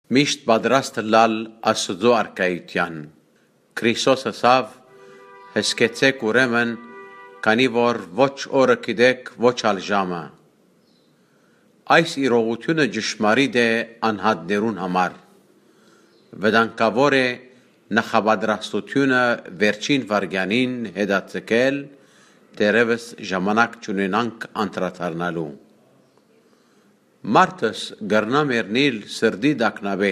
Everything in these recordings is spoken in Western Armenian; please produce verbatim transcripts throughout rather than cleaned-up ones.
Միշտ պատրաստ ըլլալ Աստուծոյ արքայութեան։ Քրիստոս ըսաւ. «Հսկեցէք ուրեմն, քանի որ ոչ օրը գիտէք, ոչ ալ ժամը»։ Այս իրողութիւնը ճշմարիտ է անհատներուն համար։ Վտանգաւոր է նախապատրաստութիւնը վերջին վայրկեանին հետաձգել, դեռեւս ժամանակ չունենանք անդրադառնալու։ Մարդս կրնայ մեռնիլ սրտի տագնապէ,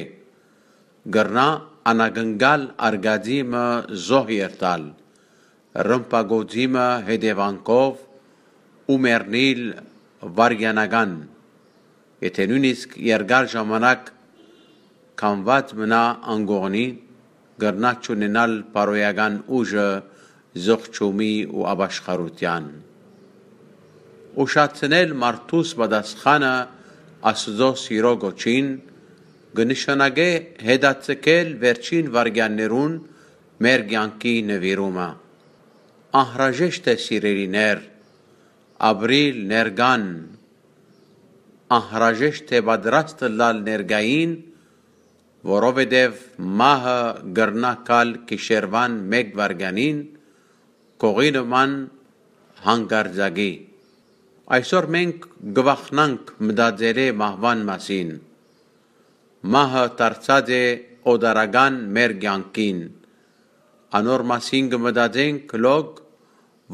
կրնայ անակնկալ արկածի մը զոհ երթալ, ռմբակոծի մը հետեւանքով ու մեռնիլ վայրկենական, եթէ նոյնիսկ երկար ժամանակ քամուած մնայ անկողնի, կրնայ չունենալ բարոյական ուժը զղջումի ու ապաշխարութեան։ Ուշացնել մարդուս պատասխանը Աստուծոյ սիրոյ կոչին կը նշանակէ հետաձգել վերջին վայրկեաններուն մեր կեանքի նուիրումը։ Անհրաժեշտ է, սիրելիներ, ապրիլ ներկան, անհրաժեշտ է պատրաստ ըլլալ ներկային, որովհետեւ մահը կրնայ գալ գիշերուան մէկ վայրկեանին, կողի նման հանկարծակի։ Այսօր մենք կը վախնանք մտածելէ մահուան մասին։ Մահը դարձած է օտարական մեր կեանքին։ Անոր մասին կը մտածենք լոկ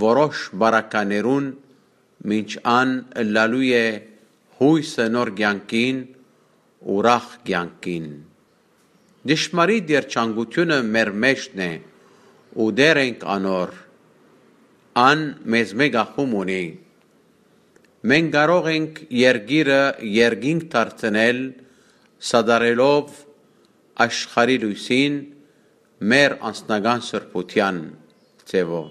որոշ բարականերուն, մինչ ան ըլլալու է յոյսը նոր կեանքին, ուրախ կեանքին։ Ճշմարիտ երջանկութիւնը մեր մէջն է ու Տէր ենք անոր։ Ան մեզմէ կախում ունի։ Մենք կարող ենք երկիրը երկինք դարձնել՝ սատարելով աշխարհի լոյսին մեր անձնական սրբութեան ձեւով։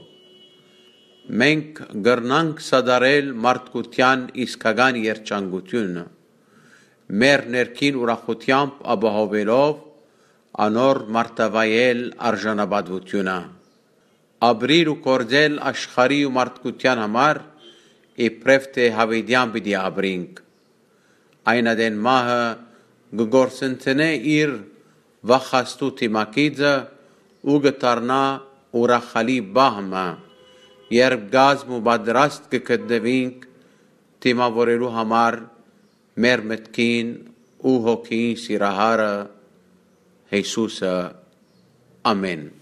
Մենք կրնանք սատարել մարդկութեան իսկական երջանկութիւնը, մեր ներքին ուրախութեամբ ապահովելով անոր մարդավայել արժանապատուութիւնը։ Ապրիլ ու գործել աշխարհի ու մարդկութեան համար, իբրեւ թէ յաւիտեան պիտի ապրինք։ Այն ատեն մահը կը կորսնցնէ իր վախաստու դիմագիծը ու կը դառնայ ուրախալի պահ մը, երբ կազմ ու պատրաստ կը գտնուինք դիմաւորելու համար մեր մտքին ու հոգիին սիրահարը՝ Յիսուսը։ Ամէն։